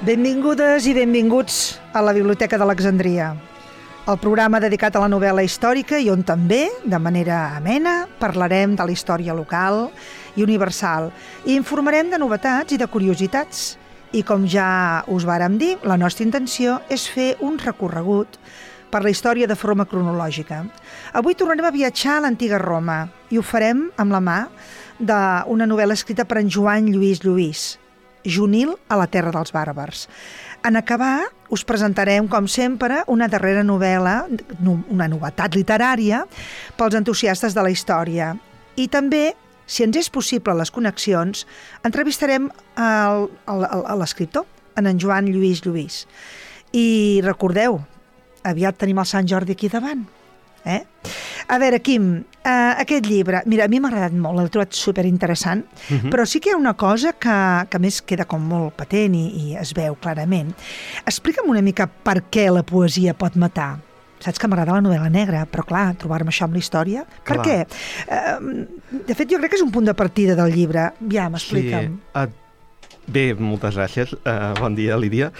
Benvingudes i benvinguts a la Biblioteca d'Alexandria, el programa dedicat a la novel·la històrica i on també, de manera amena, parlarem de la història local i universal i informarem de novetats i de curiositats. I com ja us vàrem dir, la nostra intenció és fer un recorregut per la història de forma cronològica. Avui tornarem a viatjar a l'antiga Roma i ho farem amb la mà d'una novel·la escrita per en Joan Lluís Lluís, Junil a la terra dels bàrbars. En acabar, us presentarem, com sempre, una darrera novel·la, una novetat literària pels entusiastes de la història. I també, si ens és possible les connexions, entrevistarem l'escriptor, en Joan Lluís Lluís. I recordeu, aviat tenim el Sant Jordi aquí davant. A veure, Quim, aquest llibre, mira, a mi m'ha agradat molt, l'he trobat superinteressant, però sí que hi ha una cosa que a més queda com molt patent i es veu clarament. Explica'm una mica per què la poesia pot matar. Saps que m'agrada la novel·la negra, però clar, trobar-me això amb la història. Per què? De fet, jo crec que és un punt de partida del llibre. Ja, m'explica'm. Sí. Bé, moltes gràcies. Bon dia, Lídia.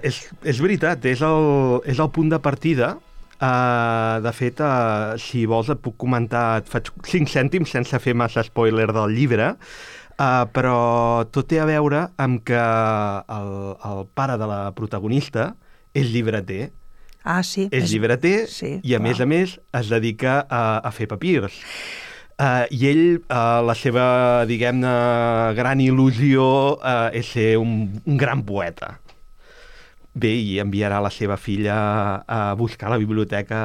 És veritat, és el punt de partida. De fet, si vols et puc comentar, et faig 5 cèntims sense fer massa spoiler del llibre, però tot té a veure amb que el pare de la protagonista és llibreter. Ah, sí. És llibreter, sí, i a més es dedica a fer papirs. I ell, la seva, diguem-ne, gran il·lusió és ser un gran poeta. Bé, i enviarà la seva filla a buscar a la biblioteca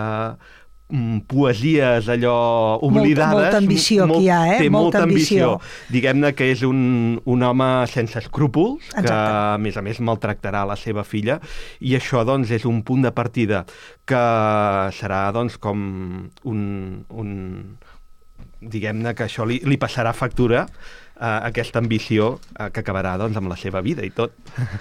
poesies allò oblidades. Molta ambició que hi ha, Té molta ambició. Diguem-ne que és un home sense escrúpols, que a més maltractarà la seva filla, i això doncs és un punt de partida que serà doncs com diguem-ne que això li passarà factura aquesta ambició que acabarà doncs, amb la seva vida i tot.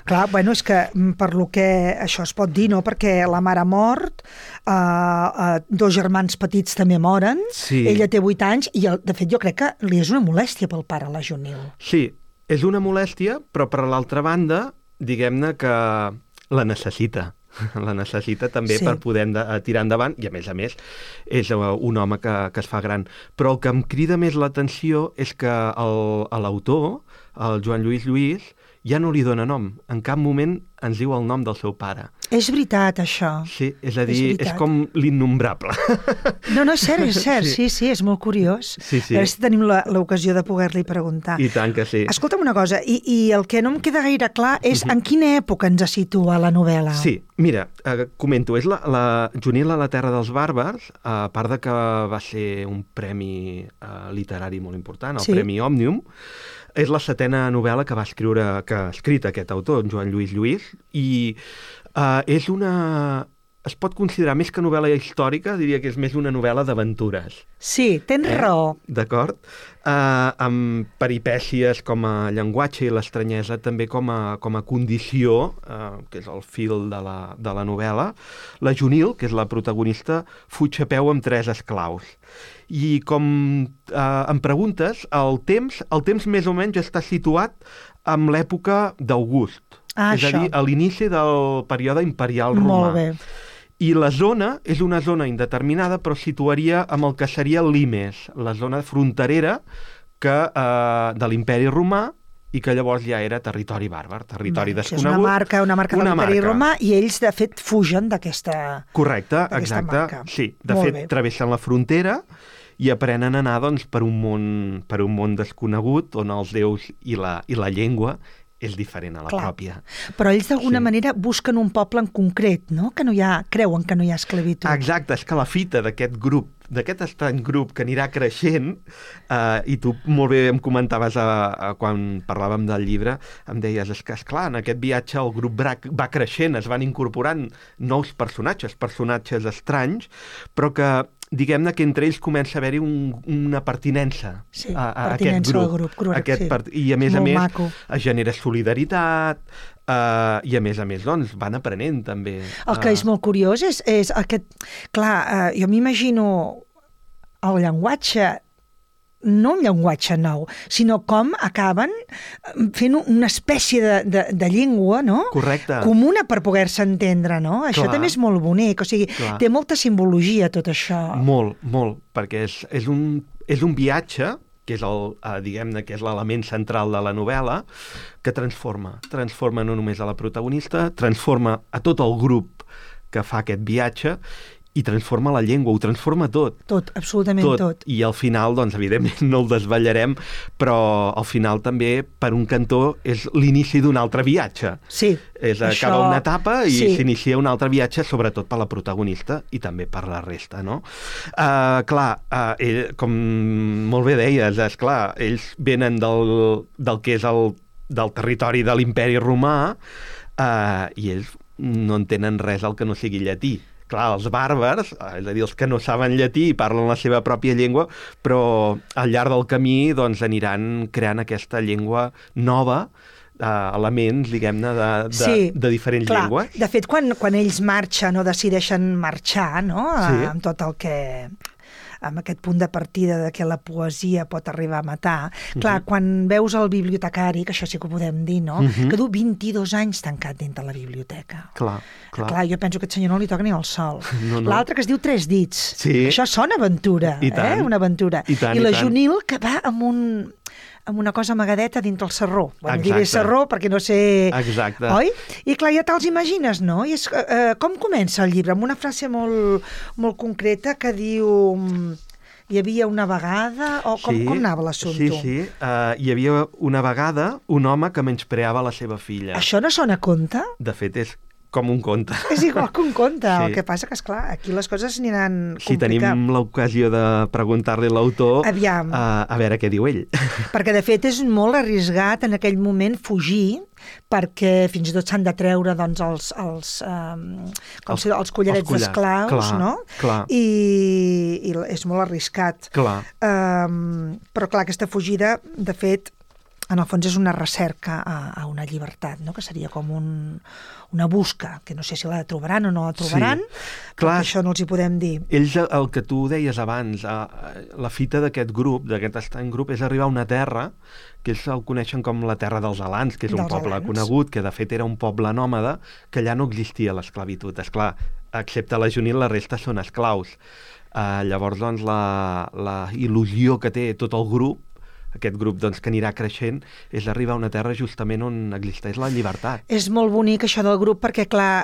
Clar, bueno, és que per lo que això es pot dir, no? Perquè la mare ha mort, 2 germans petits també moren, sí. Ella té 8 anys i de fet jo crec que li és una molèstia pel pare, la Junil. Sí, és una molèstia, però per l'altra banda, diguem-ne que la necessita. La necessita també per poder tirar endavant, i a més és un home que es fa gran. Però el que em crida més l'atenció és que l'autor, el Joan Lluís Lluís, ja no li dona nom. En cap moment ens diu el nom del seu pare. És veritat, això. Sí, és a dir, és com l'innombrable. No, és cert, sí, és molt curiós. Sí. A veure si tenim l'ocasió de poder-li preguntar. I tant que sí. Escolta'm una cosa, i el que no em queda gaire clar és en quina època ens situa la novel·la. Sí, mira, comento, és la Junil a la terra dels bàrbars, a part de que va ser un premi literari molt important, el Premi Òmnium. És la 7a novel·la que ha escrit aquest autor, Joan Lluís Lluís, i és es pot considerar més que novel·la històrica, diria que és més una novel·la d'aventures. Sí, tens raó. D'acord? Amb peripècies com a llenguatge i l'estranyesa també com a condició, que és el fil de la novel·la. La Junil, que és la protagonista, fuig a peu amb 3 esclaus. I com em preguntes, el temps més o menys està situat en l'època d'August. És a dir, a l'inici del període imperial romà. Molt bé. I la zona és una zona indeterminada, però situaria amb el que seria Limes, la zona fronterera de l'imperi romà, i que llavors ja era territori bàrbar, territori desconegut. És una marca de l'imperi romà, i ells, de fet, fugen d'aquesta marca. Correcte, exacte. Sí, de fet, travessen la frontera i aprenen a anar doncs, per un món desconegut, on els déus i la llengua és diferent a la pròpia. Però ells d'alguna manera busquen un poble en concret, no? Creuen que no hi ha esclavitud. Exacte, és que la fita d'aquest grup, d'aquest estrany grup que anirà creixent, i tu molt bé em comentaves quan parlàvem del llibre, em deies, és que esclar, en aquest viatge el grup va creixent, es van incorporant nous personatges estranys, però que diguem-ne que entre ells comença a haver-hi una pertinença a aquest grup. I a més es genera solidaritat, i a més, doncs, van aprenent també. El que és molt curiós és aquest... Clar, jo m'imagino el llenguatge no un llenguatge nou, sinó com acaben fent una espècie de llengua, no? Correcte. Comuna per poder-se entendre, no? Això Clar. també és molt bonic, o sigui, Clar. té molta simbologia tot això. Molt, perquè és un viatge, que és diguem-ne, que és l'element central de la novel·la, que transforma no només a la protagonista, transforma a tot el grup que fa aquest viatge i transforma la llengua, ho transforma tot. Tot, absolutament tot. I al final, doncs, evidentment, no el desvetllarem, però al final també, per un cantó, és l'inici d'un altre viatge. Sí. Acaba una etapa i s'inicia un altre viatge, sobretot per la protagonista i també per la resta, no? Com molt bé deies, esclar, ells venen del que és del territori de l'imperi romà i ells no entenen res al que no sigui llatí. Clar, els bàrbars, és a dir, els que no saben llatí i parlen la seva pròpia llengua, però al llarg del camí doncs, aniran creant aquesta llengua nova, elements, diguem-ne, de diferents llengües. De fet, quan ells marxen o decideixen marxar, no? Amb tot el que... amb aquest punt de partida de que la poesia pot arribar a matar. Clar, quan veus el bibliotecari, que això sí que ho podem dir, no? Que du 22 anys tancat dintre la biblioteca. Clar. Jo penso que aquest senyor no li toca ni el sol. No. L'altre que es diu Tres dits. Sí. Això sona aventura, Una aventura. I la Junil, que va amb una cosa amagadeta dintre el sarró. Bueno, diré sarró perquè no sé... Exacte. Oi? I clar, ja te'ls imagines, no? I és, com comença el llibre? Amb una frase molt, molt concreta que diu... Hi havia una vegada... O com anava l'assumpte? Sí. Hi havia una vegada un home que menyspreava la seva filla. Això no sona a conte? De fet, és com un conte. És igual que un conte. El que passa que, esclar, aquí les coses aniran complicant. Si tenim l'ocasió de preguntar-li a l'autor, aviam, a veure què diu ell. Perquè, de fet, és molt arriscat en aquell moment fugir, perquè fins i tot s'han de treure doncs, els collarets d'esclaus, no? Clar. I és molt arriscat. Clar. Però, clar, aquesta fugida, de fet, en el fons és una recerca a una llibertat, no? Que seria com una busca, que no sé si la trobaran o no la trobaran, clar, això no els hi podem dir. Ells, el que tu deies abans, la fita d'aquest grup, d'aquest estrany grup, és arribar a una terra que ells el coneixen com la terra dels Alans, que és un poble conegut, que de fet era un poble nòmada, que allà no existia l'esclavitud. Esclar, excepte la Junil, la resta són esclaus. Llavors, doncs, la il·lusió que té tot el grup, aquest grup doncs, que anirà creixent, és arribar a una terra justament on existeix la llibertat. És molt bonic això del grup perquè, clar,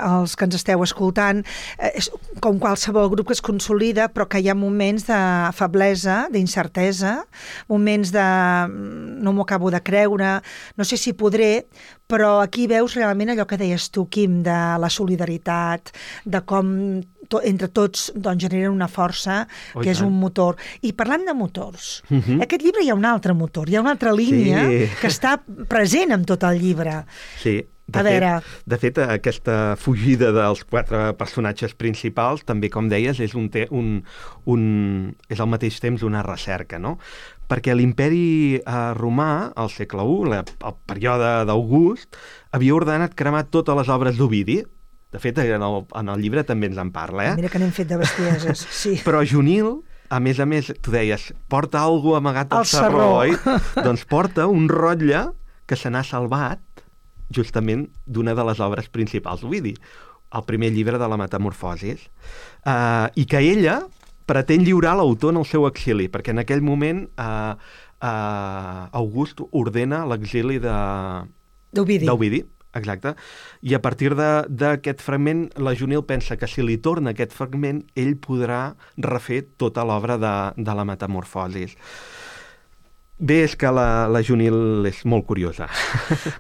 els que ens esteu escoltant, és com qualsevol grup que es consolida, però que hi ha moments de feblesa, d'incertesa, moments de no m'ho acabo de creure, no sé si podré, però aquí veus realment allò que deies tu, Quim, de la solidaritat, de com entre tots doncs, generen una força que és un motor. I parlant de motors, aquest llibre hi ha un altre motor, hi ha una altra línia que està present en tot el llibre. Sí. De fet, aquesta fugida dels 4 personatges principals, també, com deies, és és al mateix temps una recerca, no? Perquè l'imperi romà, al segle I, el període d'August, havia ordenat cremar totes les obres d'Ovidi. De fet, en el llibre també ens en parla, Mira que n'hem fet de bestieses, sí. Però Junil, a més, tu deies, porta alguna amagat al sarró, oi? Doncs porta un rotlle que se n'ha salvat justament d'una de les obres principals d'Ovidi, el primer llibre de la Metamorfosis, i que ella pretén lliurar l'autor en el seu exili, perquè en aquell moment August ordena l'exili d'Ovidi. Exacte. I a partir d'aquest fragment, la Junil pensa que si li torna aquest fragment, ell podrà refer tota l'obra de la Metamorfosis. Bé, és que la Junil és molt curiosa.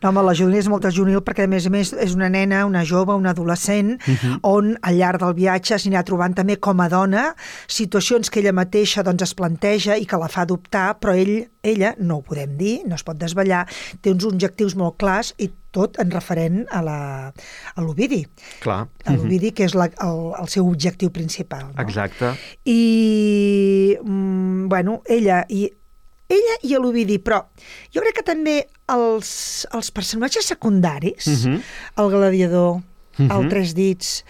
No, home, la Junil és molt Junil perquè, a més, és una nena, una jove, una adolescent, on al llarg del viatge s'anirà trobant també com a dona situacions que ella mateixa doncs, es planteja i que la fa dubtar, però ella, no ho podem dir, no es pot desvetllar, té uns objectius molt clars i tot en referent a l'Ovidi. Clar. A l'Ovidi, que és el seu objectiu principal. No? Exacte. I, bueno, ella i l'Ovidi, però jo crec que també els personatges secundaris, el gladiador, el Tres dits,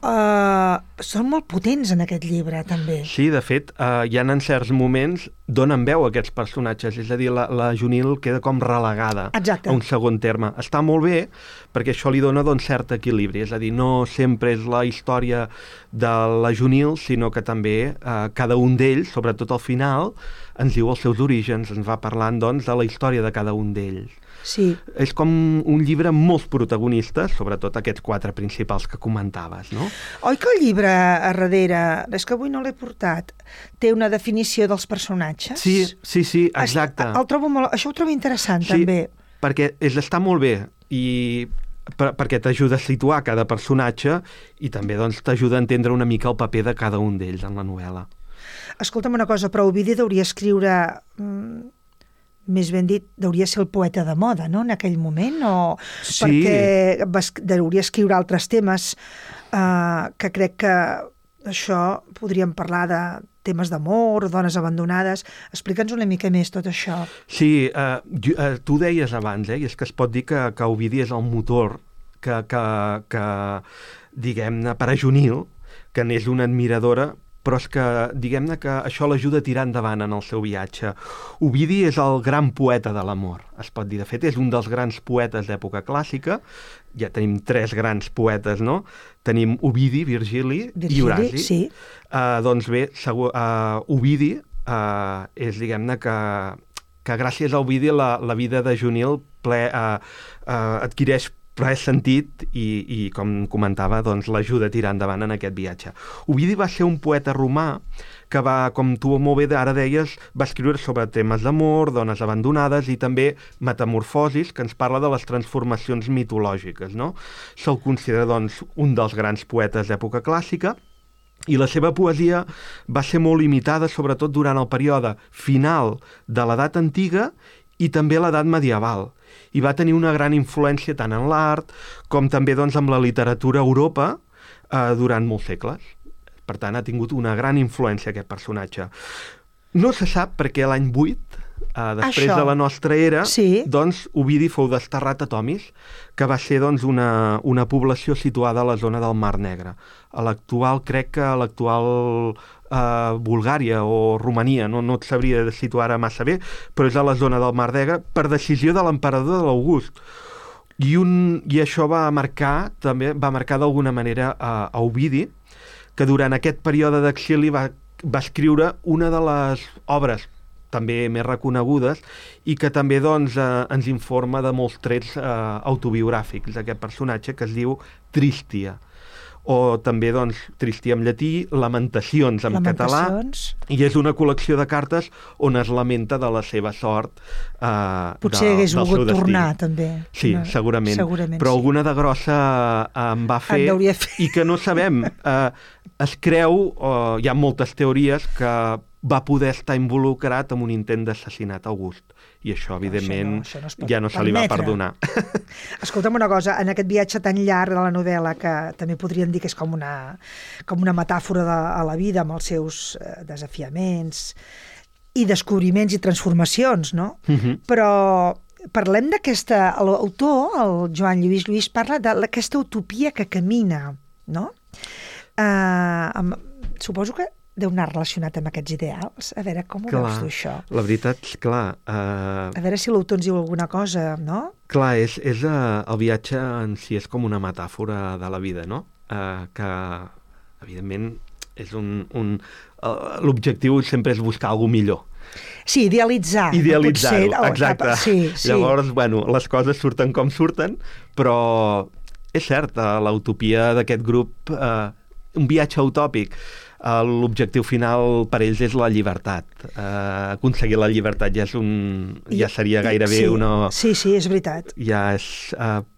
són molt potents en aquest llibre, també. Sí, de fet, hi ha en certs moments donen veu a aquests personatges, és a dir, la Junil queda com relegada Exacte. a un segon terme. Està molt bé perquè això li dona doncs, cert equilibri, és a dir, no sempre és la història de la Junil, sinó que també cada un d'ells, sobretot al final, ens diu els seus orígens, ens va parlant doncs, de la història de cada un d'ells. Sí. És com un llibre amb molts protagonistes, sobretot aquests 4 principals que comentaves, no? Oi que el llibre a darrere, és que avui no l'he portat, té una definició dels personatges? Sí, exacte. Això ho trobo interessant, sí, també. Perquè està molt bé i perquè t'ajuda a situar cada personatge i també doncs, t'ajuda a entendre una mica el paper de cada un d'ells en la novel·la. Escolta'm una cosa, però Ovidi deuria escriure... més ben dit, deuria ser el poeta de moda, no?, en aquell moment, o... Sí. Perquè deuria escriure altres temes que crec que això podríem parlar de temes d'amor, dones abandonades. Explica'ns una mica més tot això. Sí, tu deies abans, i és que es pot dir que Ovidi és el motor que diguem-ne, per a Junil, que n'és una admiradora, però és que, diguem-ne, que això l'ajuda a tirar endavant en el seu viatge. Ovidi és el gran poeta de l'amor, es pot dir. De fet, és un dels grans poetes d'època clàssica. Ja tenim 3 grans poetes, no? Tenim Ovidi, Virgili i Horaci. Sí. Doncs bé, Ovidi és, diguem-ne, que gràcies a Ovidi la vida de Junil adquireix ple sentit i com comentava, doncs, l'ajuda a tirar endavant en aquest viatge. Ovidi va ser un poeta romà que va, com tu molt bé ara deies, va escriure sobre temes d'amor, dones abandonades i també metamorfosis, que ens parla de les transformacions mitològiques, no? Se'l considera, doncs, un dels grans poetes d'època clàssica i la seva poesia va ser molt limitada, sobretot durant el període final de l'edat antiga i també l'edat medieval. I va tenir una gran influència tant en l'art com també doncs, amb la literatura a Europa durant molts segles. Per tant, ha tingut una gran influència aquest personatge. No se sap perquè l'any 8, després de la nostra era, doncs, Ovidi fou desterrat a Tomis, que va ser doncs, una població situada a la zona del Mar Negre. Crec que l'actual Bulgària o Romania, no et sabria de situar ara massa bé, però és a la zona del Mar Negre per decisió de l'emperador de l'August. I això va marcar d'alguna manera a Ovidi, que durant aquest període d'exili va escriure una de les obres també més reconegudes i que també doncs, ens informa de molts trets autobiogràfics d'aquest personatge que es diu Tristia, o també doncs, Tristia en llatí, Lamentacions en català, i és una col·lecció de cartes on es lamenta de la seva sort potser hagués volgut tornar també. Sí, segurament. Però alguna de grossa en va fer i que no sabem. Es creu, hi ha moltes teories, que va poder estar involucrat en un intent d'assassinat a August. I això, evidentment, ja no se li va perdonar. Escolta'm una cosa, en aquest viatge tan llarg de la novel·la, que també podríem dir que és com una metàfora a la vida, amb els seus desafiaments i descobriments i transformacions, no? Però parlem d'aquesta... L'autor, el Joan Lluís Lluís, parla d'aquesta utopia que camina, no? Suposo que deu anar relacionat amb aquests ideals. A veure, com ho veus tu, això? La veritat, clar... A veure si l'autor ens diu alguna cosa, no? Clar, el viatge en si és com una metàfora de la vida, no? Que, evidentment, és l'objectiu sempre és buscar alguna millor. Sí, idealitzar-ho, exacte. Llavors, bueno, les coses surten com surten, però és cert, l'utopia d'aquest grup, un viatge utòpic, l'objectiu final per ells és la llibertat. Aconseguir la llibertat ja seria gairebé una... Sí, és veritat. Ja és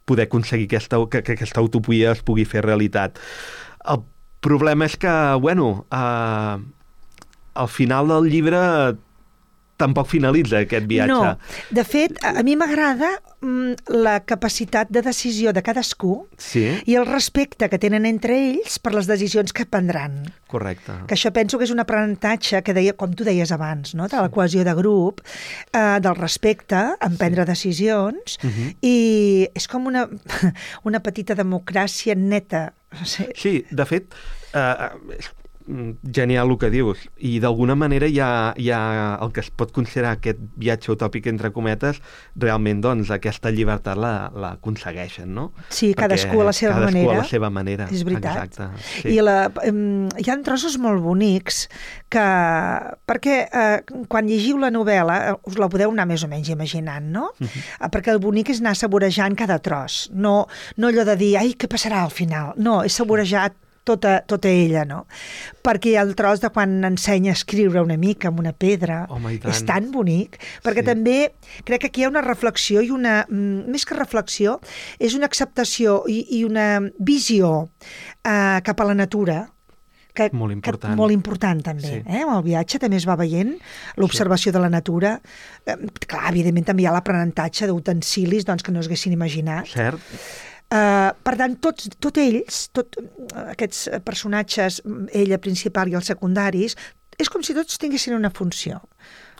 poder aconseguir que aquesta utopia es pugui fer realitat. El problema és que, bueno, al final del llibre tampoc finalitza aquest viatge. No, de fet, a mi m'agrada la capacitat de decisió de cadascú i el respecte que tenen entre ells per les decisions que prendran. Correcte. Que això penso que és un aprenentatge que deia, com tu deies abans, no? De la cohesió de grup, del respecte en prendre decisions, i és com una petita democràcia neta. Sí, de fet, genial el que dius. I d'alguna manera hi ha el que es pot considerar aquest viatge utòpic entre cometes, realment doncs aquesta llibertat l'aconsegueixen, no? Sí, cadascú a la seva manera. Cadascú a la seva manera. És veritat. Exacte. Sí. I hi ha trossos molt bonics perquè quan llegiu la novel·la us la podeu anar més o menys imaginant, no? Perquè el bonic és anar saborejant cada tros. No allò de dir, ai, què passarà al final? No, és saborejar tota ella, no? Perquè hi ha el tros de quan ensenya a escriure una mica amb una pedra. És tan bonic, perquè també crec que aquí hi ha una reflexió i més que reflexió, és una acceptació i una visió cap a la natura, molt important. Molt important també. Amb el viatge també es va veient l'observació de la natura. Clar, evidentment també hi ha l'aprenentatge d'utensilis que no s'haguessin imaginat. Cert. Per tant, tots aquests personatges, ella principal i els secundaris, és com si tots tinguessin una funció.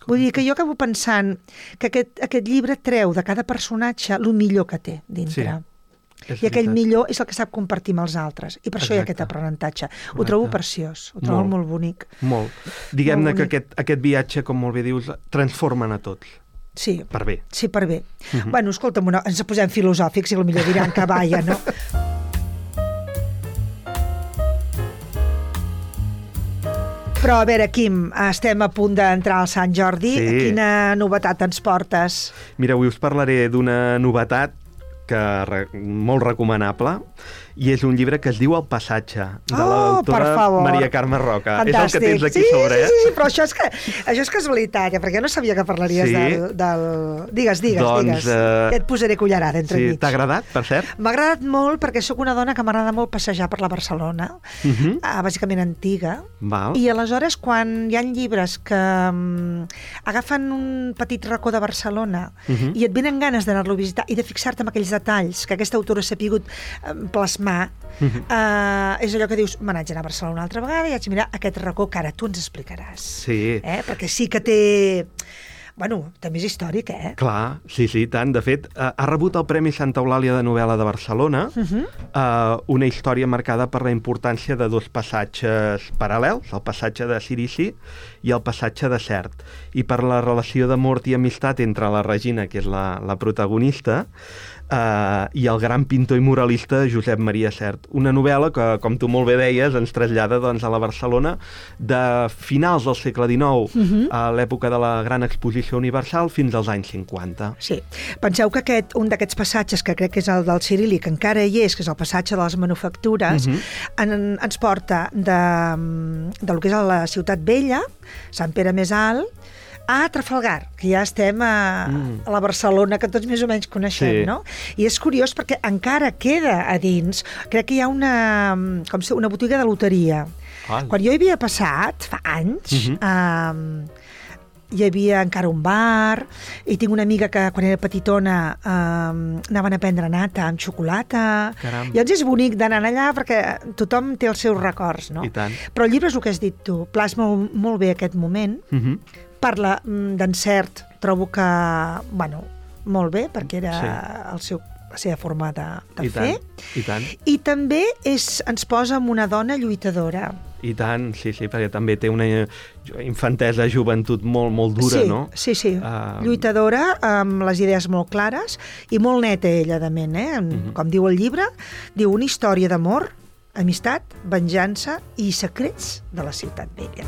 Vull dir que jo acabo pensant que aquest llibre treu de cada personatge el millor que té dintre. I aquell millor és el que sap compartir amb els altres. I per això hi ha aquest aprenentatge. Ho trobo preciós, ho trobo molt bonic. Molt. Diguem-ne que aquest viatge, com molt bé dius, transformen a tots. Sí. Per bé. Sí, per bé. Bueno, escolta'm, ens posem filosòfics i potser diran que vaia, no? Però, a veure, Quim, estem a punt d'entrar al Sant Jordi. Quina novetat ens portes? Mira, avui us parlaré d'una novetat molt recomanable, i és un llibre que es diu El passatge, de l'autora Maria Carme Roca. Fantàstic. És el que tens aquí sobre. Sí, però això és casualitat, perquè jo no sabia que parlaries del... Digues. Et posaré cullerada entre mig. T'ha agradat, per cert? M'ha agradat molt perquè sóc una dona que m'agrada molt passejar per la Barcelona, bàsicament antiga, i aleshores quan hi ha llibres que agafen un petit racó de Barcelona i et venen ganes d'anar-lo a visitar i de fixar-te en aquells detalls que aquesta autora s'ha pogut plasmar, és allò que dius, me n'haig d'anar a Barcelona una altra vegada i haig de mirar aquest racó que ara tu ens explicaràs. Perquè sí que té... Bueno, també és històric, Clar, sí, tant. De fet, ha rebut el Premi Santa Eulàlia de Novel·la de Barcelona, una història marcada per la importància de dos passatges paral·lels, el passatge de Cirici i el passatge de Cert, i per la relació d'amor i amistat entre la Regina, que és la protagonista, i el gran pintor i muralista Josep Maria Sert. Una novel·la que, com tu molt bé deies, ens trasllada a la Barcelona de finals del segle XIX, a l'època de la Gran Exposició Universal, fins als anys 50. Sí. Penseu que un d'aquests passatges, que crec que és el del Ciríl·lic, que encara hi és, que és el passatge de les manufactures, ens porta del que és la Ciutat Vella, Sant Pere Més Alt, a Trafalgar, que ja estem a la Barcelona que tots més o menys coneixem, no? I és curiós perquè encara queda a dins, crec que hi ha una botiga de loteria. Quan jo hi havia passat, fa anys, hi havia encara un bar, i tinc una amiga que quan era petitona anaven a prendre nata amb xocolata. Caram. Llavors és bonic d'anar allà perquè tothom té els seus records, no? I tant. Però el llibre és el que has dit tu, plasma molt bé aquest moment, parla d'encert, trobo que, bueno, molt bé, perquè era la seva forma de fer. I tant. I també ens posa amb una dona lluitadora. I tant, sí, perquè també té una infantesa, joventut molt dura, no? Sí. Lluitadora, amb les idees molt clares i molt neta ella, de ment, Com diu el llibre, diu una història d'amor, amistat, venjança i secrets de la Ciutat Vella.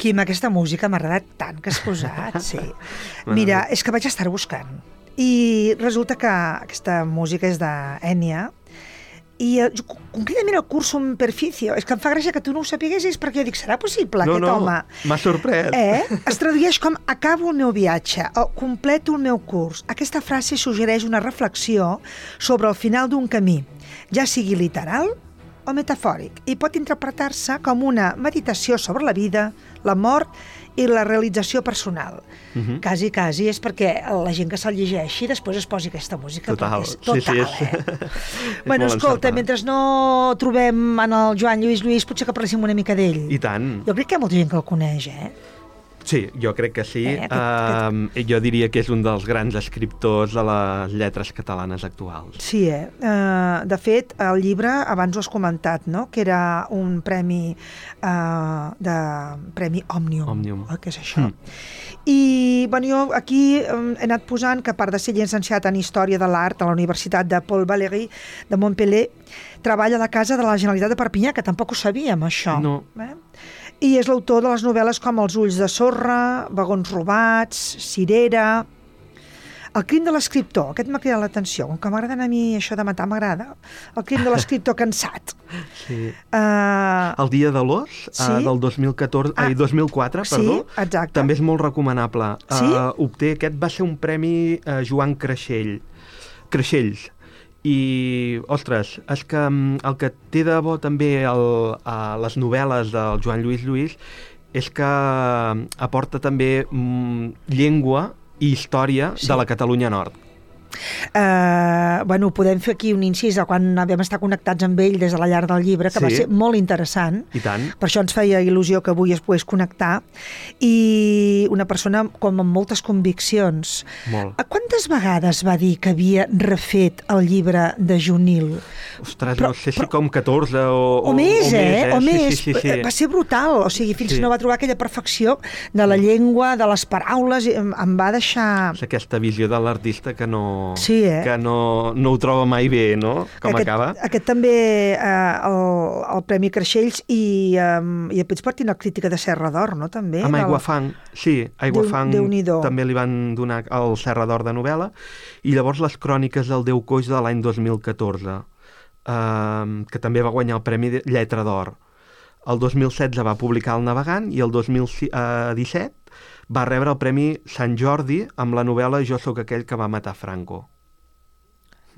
Quim, aquesta música m'ha agradat tant que has posat, sí. Mira, és que vaig estar buscant. I resulta que aquesta música és d'Ènia I concretament el Cursum Perficio, és que em fa gràcia que tu no ho sapiguessis, perquè jo dic, serà possible aquest home? M'ha sorprès. Es tradueix com acabo el meu viatge o completo el meu curs. Aquesta frase suggereix una reflexió sobre el final d'un camí, ja sigui literal o metafòric, i pot interpretar-se com una meditació sobre la vida, la mort i la realització personal. Quasi és perquè la gent que se'l llegeixi després es posi aquesta música. Total. Total, Bueno, escolta, mentre no trobem en el Joan Lluís, potser que parléssim una mica d'ell. I tant. Jo crec que hi ha molta gent que el coneix, Sí, jo crec que sí. Jo diria que és un dels grans escriptors de les lletres catalanes actuals. Sí, de fet, el llibre, abans ho has comentat, no? Que era un premi Premi Òmnium. Què és això? I jo aquí he anat posant que, a part de ser llicenciat en Història de l'Art a la Universitat de Paul Valéry de Montpellier, treballa a la Casa de la Generalitat de Perpinyà, que tampoc ho sabíem, això. No. I és l'autor de les novel·les com Els ulls de sorra, Vagons robats, Cirera, El crim de l'escriptor. Aquest m'ha cridat l'atenció. Com que m'agraden a mi això de matar, m'agrada. El crim de l'escriptor cansat. Sí. El dia de l'os, del 2004, perdó. Sí, exacte. També és molt recomanable. Sí? Aquest va ser un premi Joan Creixells. I, ostres, és que el que té de bo també a les novel·les del Joan Lluís és que aporta també llengua i història de la Catalunya Nord. Podem fer aquí un incís a quan vam estar connectats amb ell des de la llar del llibre, que va ser molt interessant. I tant. Per això ens feia il·lusió que avui es pogués connectar. I una persona com amb moltes conviccions. Molt. Quantes vegades va dir que havia refet el llibre de Junil? Ostres, no sé si com 14 o més, o més. Sí. Va ser brutal, o sigui, fins que no va trobar aquella perfecció de la llengua, de les paraules, em va deixar... És aquesta visió de l'artista que no ho troba mai bé, no? Com acaba. Aquest també, el Premi Creixells i després partint la crítica de Serra d'Or, no? També. Amb Aiguafang, sí. Aiguafang també li van donar el Serra d'Or de novel·la. I llavors les cròniques del Déu Coix de l'any 2014, que també va guanyar el Premi de Lletra d'Or. El 2016 va publicar El Navegant i el 2017 va rebre el Premi Sant Jordi amb la novel·la Jo sóc aquell que va matar Franco.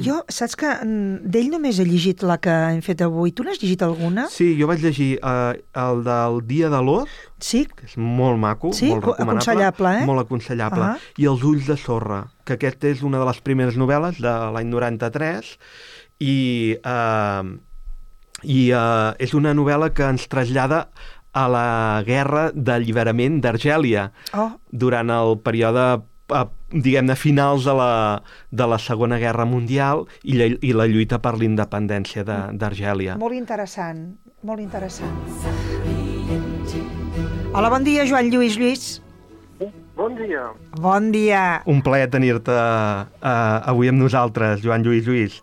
Jo, saps que d'ell només he llegit la que hem fet avui. Tu n'has llegit alguna? Sí, jo vaig llegir el del Dia de l'Os, que és molt maco, molt recomanable. Aconsellable, Molt aconsellable. I Els ulls de sorra, que aquest és una de les primeres novel·les de l'any 93 i és una novel·la que ens trasllada a la guerra d'alliberament d'Argèlia durant el període, diguem-ne, finals de la Segona Guerra Mundial i la lluita per la independència d'Argèlia. Molt interessant, molt interessant. Hola, bon dia, Joan Lluís. Bon dia. Bon dia. Un plaer tenir-te avui amb nosaltres, Joan Lluís.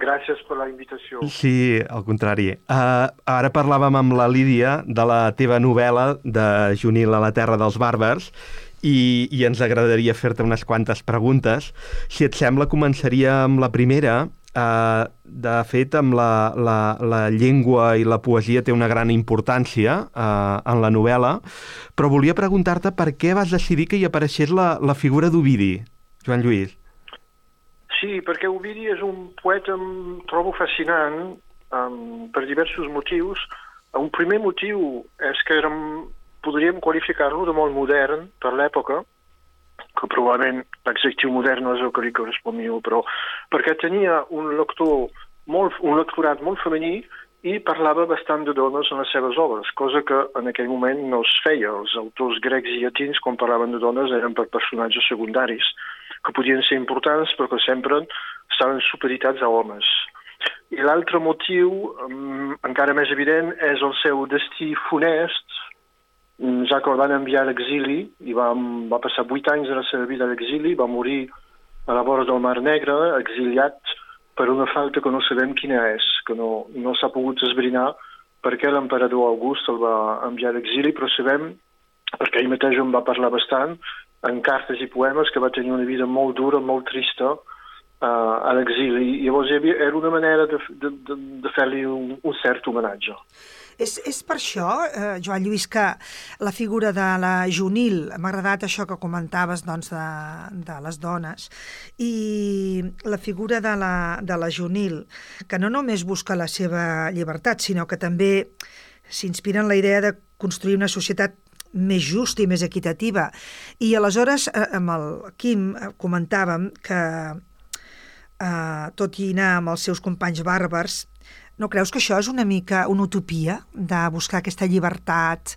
Gràcies per la invitació. Sí, al contrari. Ara parlàvem amb la Lídia de la teva novel·la de Junil a la terra dels bàrbars i ens agradaria fer-te unes quantes preguntes. Si et sembla, començaria amb la primera. De fet, amb la llengua i la poesia té una gran importància en la novel·la, però volia preguntar-te per què vas decidir que hi apareixés la figura d'Ovidi, Joan Lluís. Sí, perquè Ovidi és un poeta em trobo fascinant per diversos motius. Un primer motiu és que podríem qualificar-lo de molt modern per l'època, que probablement l'adjectiu modern no és el que li correspon millor, però perquè tenia un lectorat molt femení i parlava bastant de dones en les seves obres, cosa que en aquell moment no es feia. Els autors grecs i llatins, quan parlaven de dones, eren per personatges secundaris, que podien ser importants però que sempre estaven supeditats a homes. I l'altre motiu, encara més evident, és el seu destí funest, ja que el van enviar a l'exili i va passar 8 anys de la seva vida a l'exili, va morir a la vora del Mar Negre, exiliat per una falta que no sabem quina és, que no s'ha pogut esbrinar perquè l'emperador August el va enviar a l'exili, però sabem, perquè ell mateix en va parlar bastant, en cartes i poemes, que va tenir una vida molt dura, molt trista, a l'exili. Llavors era una manera de fer-li un cert homenatge. És per això, Joan Lluís, que la figura de la Junil, m'ha agradat això que comentaves doncs, de les dones, i la figura de la Junil, que no només busca la seva llibertat, sinó que també s'inspira en la idea de construir una societat més justa i més equitativa. I aleshores, amb el Quim, comentàvem que, tot i anar amb els seus companys bàrbars, no creus que això és una mica una utopia de buscar aquesta llibertat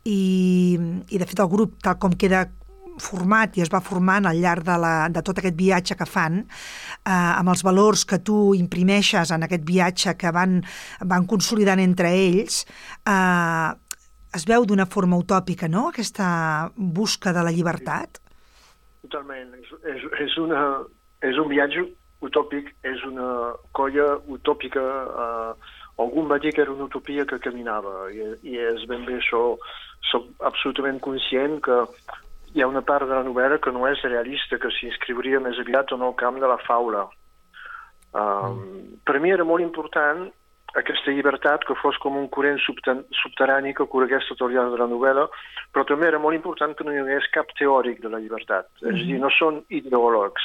i de fet el grup tal com queda format i es va formant al llarg de tot aquest viatge que fan, amb els valors que tu imprimeixes en aquest viatge que van consolidant entre ells, es veu d'una forma utòpica, no?, aquesta busca de la llibertat? Totalment. És un viatge utòpic, és una colla utòpica. Algú va dir que era una utopia que caminava, i és ben bé això. Soc absolutament conscient que hi ha una part de la novel·la que no és realista, que s'inscriuria més aviat en el camp de la faula. Per mi era molt important aquesta llibertat, que fos com un corrent subterrani que corregués tot el llarg de la novel·la, però també era molt important que no hi hagués cap teòric de la llibertat. És a dir, no són ideòlegs,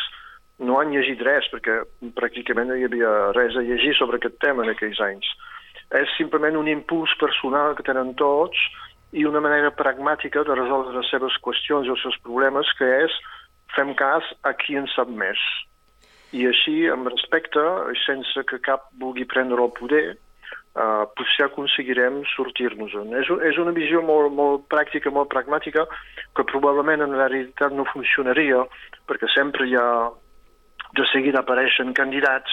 no han llegit res, perquè pràcticament no hi havia res a llegir sobre aquest tema en aquells anys. És simplement un impuls personal que tenen tots i una manera pragmàtica de resoldre les seves qüestions i els seus problemes, que és fem cas a qui en sap més. I així, amb respecte, sense que cap vulgui prendre el poder, potser aconseguirem sortir-nos-en. És una visió molt pràctica, molt pragmàtica, que probablement en la realitat no funcionaria, perquè sempre hi ha de seguida apareixen candidats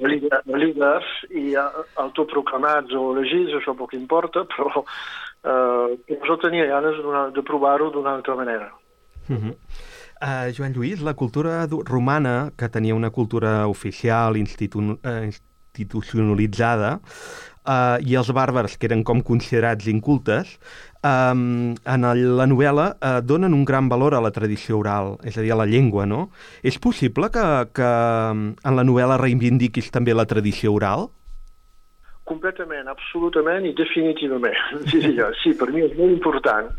líders i autoproclamats o elegits, això poc importa, però jo tenia ganes de provar-ho d'una altra manera. Joan Lluís, la cultura romana, que tenia una cultura oficial, institucionalitzada, i els bàrbars, que eren com considerats incultes, en la novel·la donen un gran valor a la tradició oral, és a dir, a la llengua, no? És possible que en la novel·la reivindiquis també la tradició oral? Completament, absolutament i definitivament. Sí, per mi és molt important,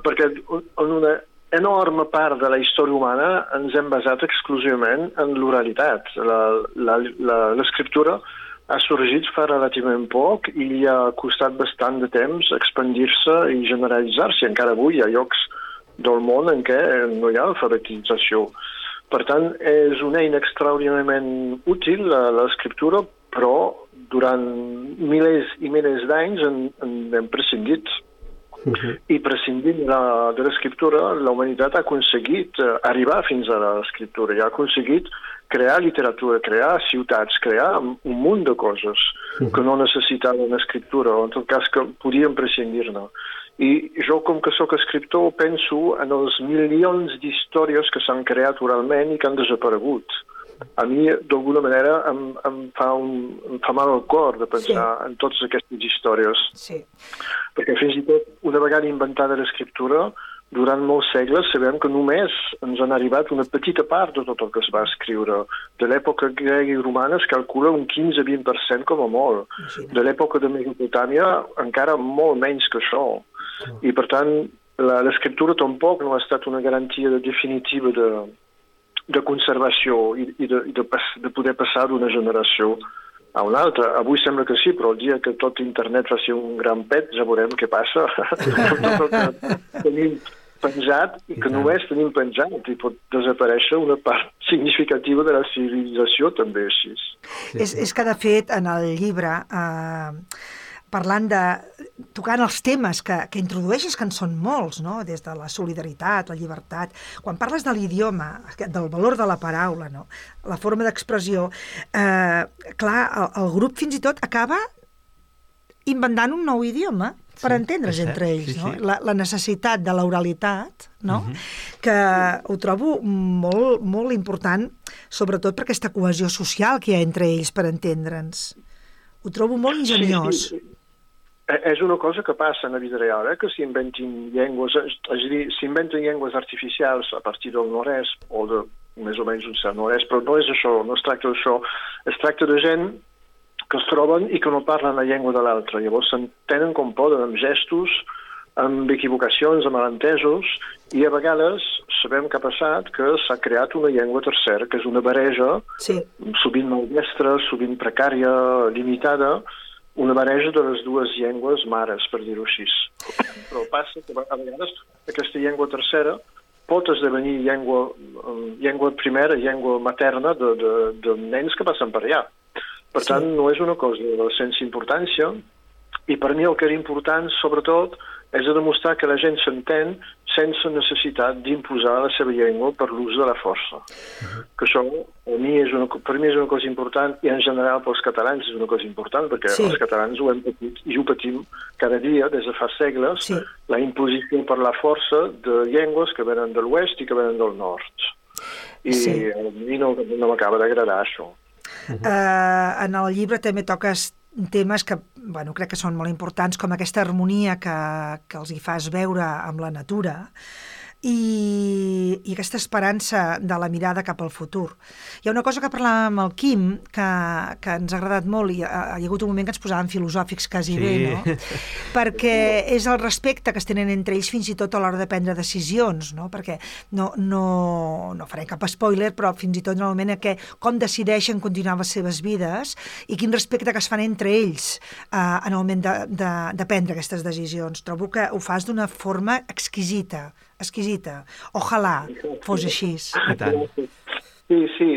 perquè en una enorme part de la història humana ens hem basat exclusivament en l'oralitat. L'escriptura ha sorgit fa relativament poc i li ha costat bastant de temps expandir-se i generalitzar-se. Encara avui hi ha llocs del món en què no hi ha alfabetització. Per tant, és una eina extraordinàriament útil, l'escriptura, però durant milers i milers d'anys hem prescindit. I prescindint de l'escriptura, la humanitat ha aconseguit arribar fins a l'escriptura i ha aconseguit crear literatura, crear ciutats, crear un munt de coses que no necessitaven escriptura, o en tot cas que podien prescindir-ne. I jo, com que sóc escriptor, penso en els milions d'històries que s'han creat oralment i que han desaparegut. A mi, d'alguna manera, em fa mal el cor de pensar en totes aquestes històries. Sí. Perquè fins i tot, una vegada inventada l'escriptura, durant molts segles sabem que només ens han arribat una petita part de tot el que es va escriure. De l'època grega i romana es calcula un 15-20% com a molt. De l'època de Mesopotàmia encara molt menys que això. I per tant, l'escriptura tampoc no ha estat una garantia definitiva de conservació i de poder passar d'una generació a una altra. Avui sembla que sí, però el dia que tot internet faci un gran pet ja veurem què passa. Tot el que tenim penjat i que només tenim penjat i pot desaparèixer una part significativa de la civilització també així. És que de fet en el llibre parlant tocant els temes que introdueixes, que en són molts, no? Des de la solidaritat, la llibertat. Quan parles de l'idioma, del valor de la paraula, no? La forma d'expressió, clar, el grup fins i tot acaba inventant un nou idioma per entendre's entre ells, no? La necessitat de l'oralitat, no? Que ho trobo molt, molt important, sobretot per aquesta cohesió social que hi ha entre ells per entendre'ns. Ho trobo molt ingeniós. Sí. És una cosa que passa en la vida real, que s'inventin llengües, és a dir, s'inventen llengües artificials a partir del no-res o més o menys un cert no-res, però no és això, no es tracta d'això. Es tracta de gent que es troben i que no parlen la llengua de l'altre. Llavors s'entenen com poden, amb gestos, amb equivocacions, amb malentesos, i a vegades sabem que ha passat que s'ha creat una llengua tercera, que és una barreja, sovint maldestra, sovint precària, limitada, una barreja de les dues llengües mares, per dir-ho així. Però passa que a vegades aquesta llengua tercera pot esdevenir llengua primera, llengua materna de nens que passen per allà. Per tant, no és una cosa sense importància, i per mi el que era important, sobretot, és de demostrar que la gent s'entén sense necessitat d'imposar la seva llengua per l'ús de la força. Que això, per mi és una cosa important, i en general pels catalans és una cosa important, perquè els catalans ho hem patit i ho patim cada dia, des de fa segles, la imposició per la força de llengües que venen de l'oest i que venen del nord. I a mi no m'acaba d'agradar això. En el llibre també toques temes que, crec que són molt importants, com aquesta harmonia que els hi fas veure amb la natura i aquesta esperança de la mirada cap al futur. Hi ha una cosa que parlàvem amb el Quim que ens ha agradat molt, i hi ha hagut un moment que ens posàvem filosòfics quasi bé, no? Perquè és el respecte que es tenen entre ells fins i tot a l'hora de prendre decisions, no? Perquè no faré cap spoiler, però fins i tot normalment com decideixen continuar les seves vides i quin respecte que es fan entre ells en el moment de prendre aquestes decisions. Trobo que ho fas d'una forma exquisita. Ojalà fos així. Sí,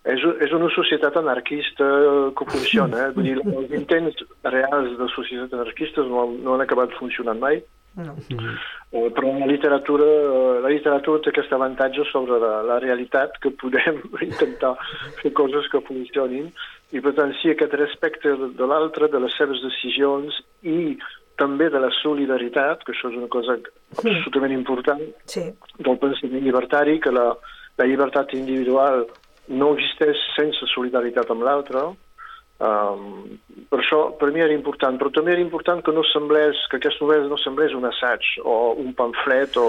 és una societat anarquista que funciona. Vull dir, els intents reals de societat anarquistes no han acabat funcionant mai. No. Però la literatura té aquest avantatge sobre la realitat, que podem intentar fer coses que funcionin, i per tant sí, aquest respecte de l'altre, de les seves decisions i també de la solidaritat, que això és una cosa absolutament important, del pensament llibertari, que la llibertat individual no existeix sense solidaritat amb l'altre. Per això, per mi era important, però també era important que aquesta novel·la no semblés un assaig o un pamflet o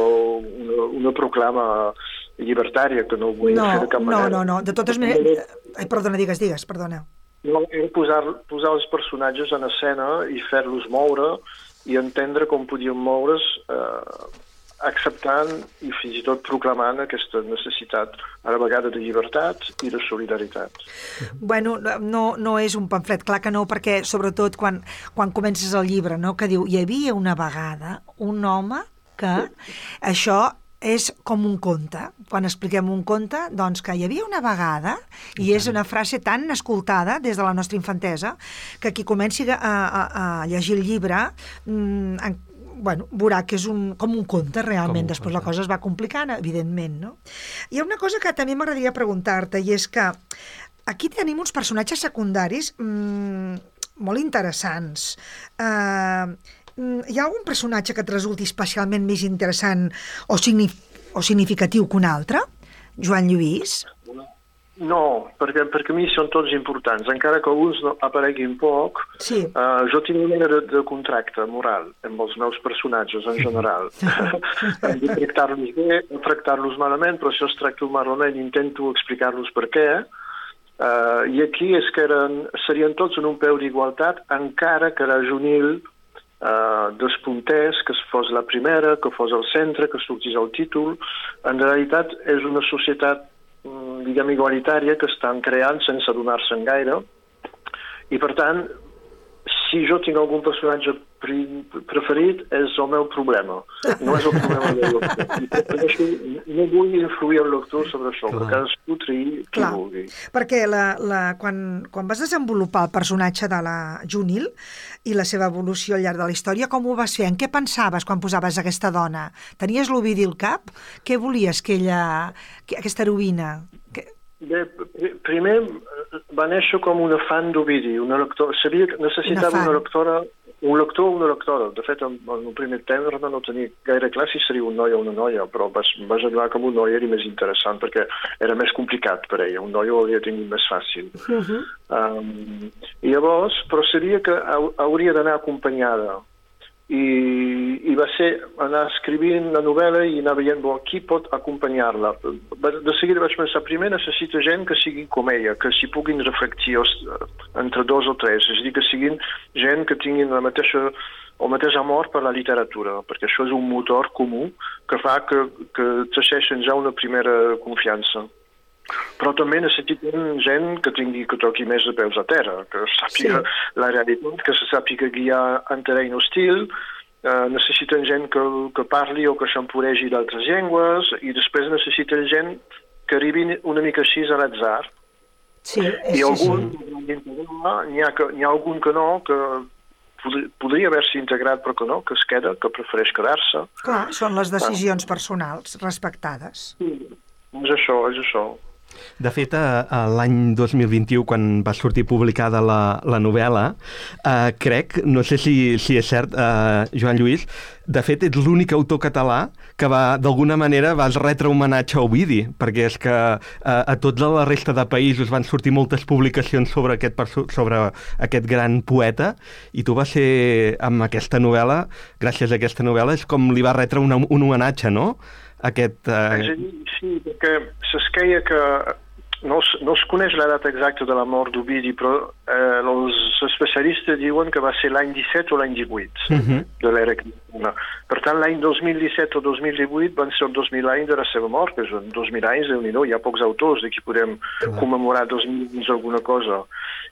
una proclama llibertària, que no vull fer de cap manera. No, de totes maneres... Perdona, digues, perdona. No, era posar els personatges en escena i fer-los moure i entendre com podien moure's acceptant i fins i tot proclamant aquesta necessitat a la vegada de llibertat i de solidaritat. Bueno, no és un pamflet, clar que no, perquè sobretot quan comences el llibre, no, que diu hi havia una vegada un home que això és com un conte. Quan expliquem un conte, doncs que hi havia una vegada, i és una frase tan escoltada des de la nostra infantesa, que qui comenci a llegir el llibre veurà que és com un conte realment. Després la cosa es va complicant, evidentment, no? Hi ha una cosa que també m'agradaria preguntar-te, i és que aquí tenim uns personatges secundaris molt interessants. Hi ha algun personatge que et resulti especialment més interessant o significatiu que un altre? Joan Lluís? No, perquè a mi són tots importants. Encara que alguns apareguin poc, jo tinc una mena de contracte moral amb els meus personatges en general. Hem de tractar-los bé, tractar-los malament, però si els tracto malament intento explicar-los per què. I aquí és que serien tots en un peu d'igualtat, encara que la Junil despuntés, que fos la primera, que fos al centre, que sortís el títol. En realitat és una societat, diguem, igualitària que estan creant sense adonar-se'n gaire, i per tant, si jo tinc algun personatge preferit, és el meu problema. No és el problema del lector. No vull influir el lector sobre això, perquè cadascú triï qui vulgui. Perquè quan vas desenvolupar el personatge de la Junil i la seva evolució al llarg de la història, com ho vas fer? En què pensaves quan posaves aquesta dona? Tenies l'Ovidi al cap? Què volies que aquesta heroïna... Bé, primer va néixer com una fan d'Ovidi, una lectora. Sabia que necessitava un lector o una lectora. De fet, en el primer temps no tenia gaire clar si seria un noi o una noia, però vaig adonar que un noi era més interessant perquè era més complicat per ella. Un noi ho hauria tingut més fàcil. I llavors, però sabia que hauria d'anar acompanyada i va ser anar escrivint la novel·la i anar veient qui pot acompanyar-la. De seguida vaig pensar, primer necessita gent que sigui com ella, que s'hi puguin reflectir entre 2 o 3, és a dir, que siguin gent que tinguin el mateix amor per la literatura, perquè això és un motor comú que fa que teixeixen ja una primera confiança. Però també necessiten gent que toqui més de peus a terra, que sàpiga la realitat, que se sàpiga guiar en terreny hostil, necessiten gent que parli o que s'empuregi d'altres llengües, i després necessiten gent que arribin una mica així a l'atzar. Sí, I n'hi ha algun que no, que podria haver-se integrat però que no, que es queda, que prefereix quedar-se. Clar, són les decisions personals respectades. És això. De fet, l'any 2021, quan va sortir publicada la novel·la, crec, no sé si és cert, Joan Lluís, de fet ets l'únic autor català que d'alguna manera vas retre homenatge a Ovidi, perquè és que a tota la resta de països van sortir moltes publicacions sobre aquest gran poeta, i tu vas ser, amb aquesta novel·la, gràcies a aquesta novel·la, és com li va retre un homenatge, no? Sí, perquè s'esqueia que no es coneix la data exacta de la mort d'Ovidi, però els especialistes diuen que va ser l'any 17 o l'any 18 de l'era cristiana. Per tant, l'any 2017 o 2018 van ser els 2.000 anys de la seva mort, que són 2.000 anys, Déu-n'hi-do, hi ha pocs autors de qui podem commemorar 2.000 anys alguna cosa.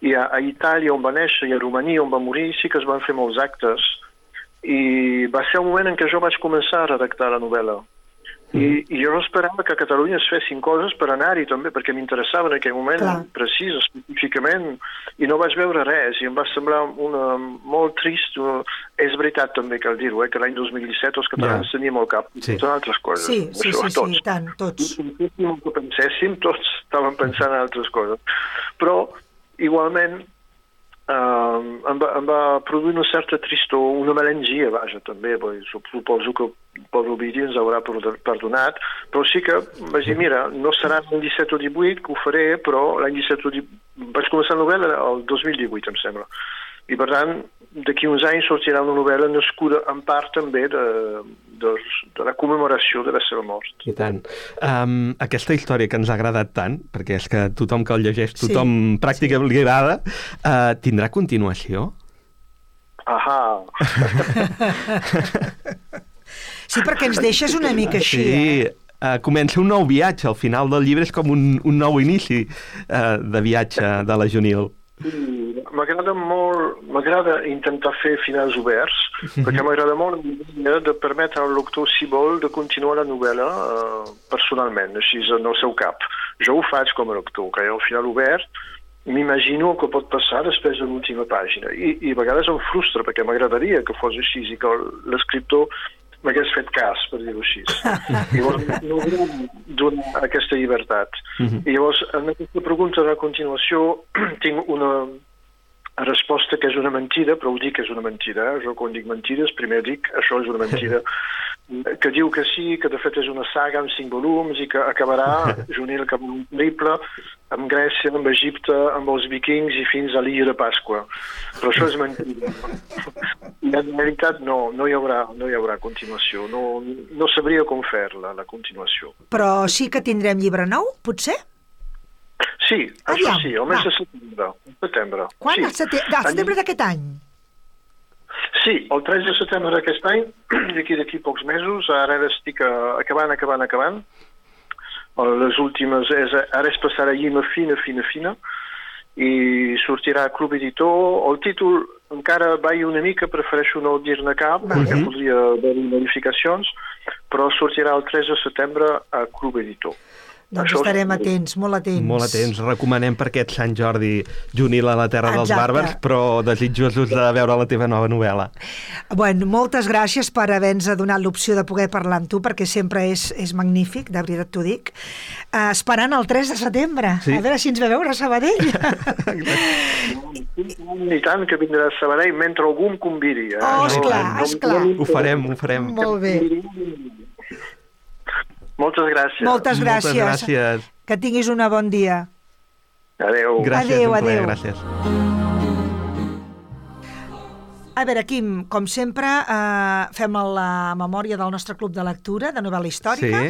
I a Itàlia, on va néixer, i a Romania, on va morir, sí que es van fer molts actes, i va ser el moment en què jo vaig començar a redactar la novel·la. I jo esperava que a Catalunya es fessin coses per anar-hi també, perquè m'interessava en aquell moment precís, específicament, i no vaig veure res, i em va semblar molt trist. És veritat també, cal dir-ho, que l'any 2017 els catalans teníem al cap totes altres coses. Sí, tant, tots. El que penséssim, tots estàvem pensant en altres coses. Però, igualment, em va produir una certa tristor, una melangia, vaja, també, suposo que pobre Ovidi ens haurà perdonat, però sí que vaig dir, mira, no serà l'any 17 o 18 que ho faré, però l'any 17 o 18... Vaig començar la novel·la el 2018, em sembla. I per tant, d'aquí uns anys sortirà una novel·la nascuda en part també de la commemoració de la seva mort. I tant. Aquesta història que ens ha agradat tant, perquè és que tothom que el llegeix, tothom pràcticament li agrada, tindrà continuació? Ahà! Sí, perquè ens deixes una mica així. Sí, comença un nou viatge. Al final del llibre és com un nou inici de viatge de la Junil. M'agrada intentar fer finals oberts, perquè m'agrada molt de permetre al lector, si vol, de continuar la novel·la personalment, així en el seu cap. Jo ho faig com a lector, que al final obert m'imagino el que pot passar després de l'última pàgina. I a vegades em frustra, perquè m'agradaria que fos així i que l'escriptor m'hagués fet cas, per dir-ho així. Llavors, no volem donar aquesta llibertat. I llavors, en aquesta pregunta de la continuació, tinc una resposta que és una mentida, però ho dic que és una mentida. Jo quan dic mentides, primer dic això és una mentida, que diu que sí, que de fet és una saga amb 5 volums i que acabarà, Junil, cap un triple, amb Grècia, amb Egipte, amb els vikings i fins a l'illa de Pasqua. Però això és mentida. I en realitat no hi haurà continuació. No sabria com fer-la, la continuació. Però sí que tindrem llibre nou, potser? Sí, això sí, el mes de setembre. Quan? Al setembre d'aquest any? Sí, el 3 de setembre d'aquest any, d'aquí pocs mesos, ara estic acabant. Les últimes, ara és passar a llima fina, i sortirà a Club Editor. El títol encara va una mica, prefereixo no dir-ne cap, perquè podria haver-hi modificacions, però sortirà el 3 de setembre a Club Editor. Doncs estarem atents, molt atents. Molt atents. Recomanem per aquest Sant Jordi Junil a la Terra dels Bàrbars, però desitjosos de veure la teva nova novel·la. Bueno, moltes gràcies per haver-nos donat l'opció de poder parlar amb tu, perquè sempre és magnífic, de veritat t'ho dic. Esperant el 3 de setembre. Sí. A veure si ens ve veure a Sabadell. I tant que vindrà a Sabadell mentre algú em convidi. Esclar. Ho farem. Molt bé. Moltes gràcies. Moltes gràcies. Que tinguis un bon dia. Adéu. Gràcies, adéu. Gràcies. A veure, Quim, com sempre, fem la memòria del nostre club de lectura de novel·la històrica,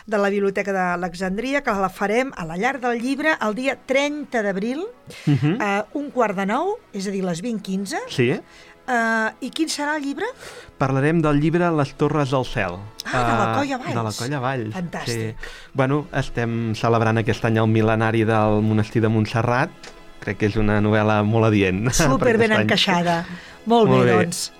de la Biblioteca d'Alexandria, que la farem a la Llar del Llibre el dia 30 d'abril, 8:45, és a dir, les 20:15. Sí. I quin serà el llibre? Parlarem del llibre Les Torres del Cel. De la Colla Valls. De la Colla Valls. Fantàstic. Sí. Bueno, estem celebrant aquest any el mil·lenari del monestir de Montserrat. Crec que és una novel·la molt adient. Super ben encaixada. Molt bé, doncs.